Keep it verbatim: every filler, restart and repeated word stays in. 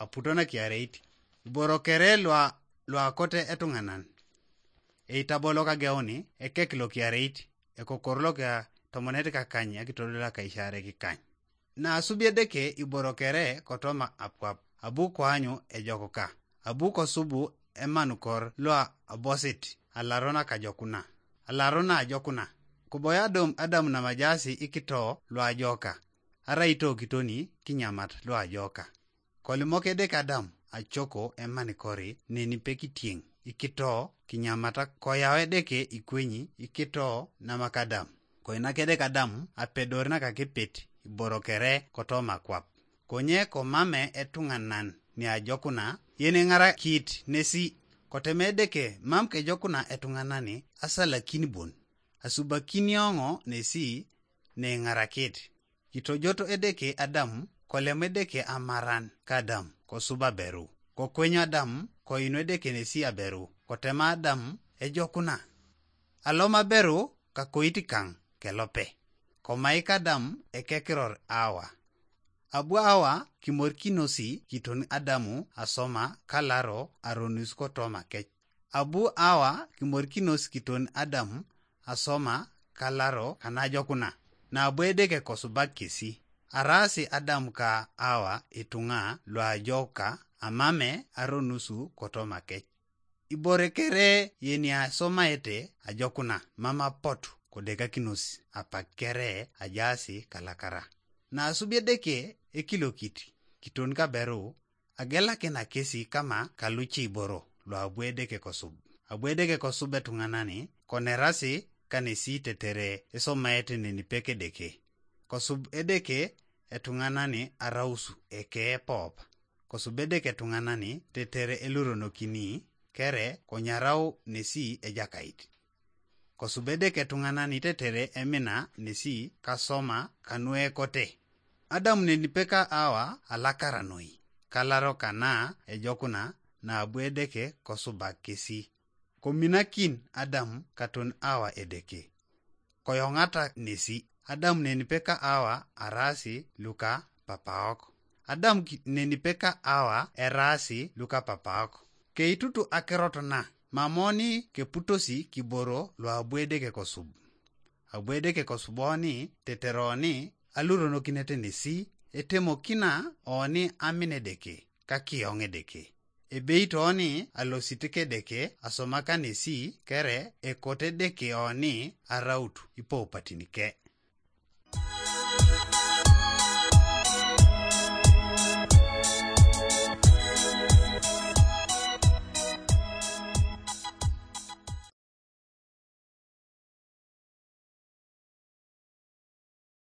aputo na kiareit. Iboro kere lua lua kote etuŋanan. Eitabolo kageuni ekek lo kiareit, ekokor lo kia tomonet kakany akitodol akaishare kikany. Na asubi Edeke iboro kere kotoma apuap, abu koanyu ejokuka, abu kosubu emanukor lua abosit alaro nakajokuna, alaro naajokuna. Kuboya Adam, Adam namajaasi ikito luajoka, arai itokitoni kinyamat luajoka. Kolimok Edeke Adam acoko emanikori neni pekitieŋ ikito kinyamata, koyau Edeke ikwenyi ikito namakadam. Koinak Edeke Adam apedor nakakepet iboro kere kotoma kwap. Konye komame etuŋanan niajokuna yeneŋarakit nesi. Koteme Edeke mam kejokuna etuŋanani asalakin bon, asubakinioŋo nesi neiŋarakit. Kitojoto Edeke Adam, kolem Edeke amaran kadam kosub aberu. Kokwenyo Adam, koinu Edeke nesi aberu, kotema Adam ejokuna. Alom aberu kakoit kaŋ kelope. Komaik Adam ekekiror Awa. Abu Awa kimorikinosi kiton Adamu asoma kalaro aronus kotoma kec. Abu Awa kimorikinos kiton Adam asoma kalaro kanajokuna, nabu Edeke kosubak kesi. Araasi Adam ka Awa ituŋa luajoka amame aronusu kotoma kec. Ibore kere yeniasomaete ajokuna mam apotu kodekakinos apak kere ajaasi kalakara. Naasubi Edeke ekilokit kiton kaberu, agelakina kesi kama kaluce iboro luabu Edeke kosub. Abu Edeke kosub etuŋanani konerasi kanesi tetere esomaete nenipek Edeke. Kosub Edeke etuŋanani arausu ekee pop. Kosub Edeke etuŋanani tetere eluronokini kere konyarau nesi Ejakait. Kosub Edeke etuŋanani tetere emina nesi kasoma kanuekote. Adam nenipeka Awa alakara noi, kalaro kana ejokuna nabu Edeke kosubak kesi. Kominakin Adam katon Awa Edeke. Koyoŋata nesi. Adam nenipeka Awa araasi luka papaok. Adam ki- nenipeka Awa eraasi luka papaok. Keitutu akirot na, mamoni keputosi kiboro luabu Edeke kosub. Abu Edeke kosuboni teteroni aluronokinete nesi, etemokina oni amin Edeke, kakioŋ Edeke. Ebeit oni alosit Edeke asomaka nesi kere ekot Edeke oni araut ipoupatinike.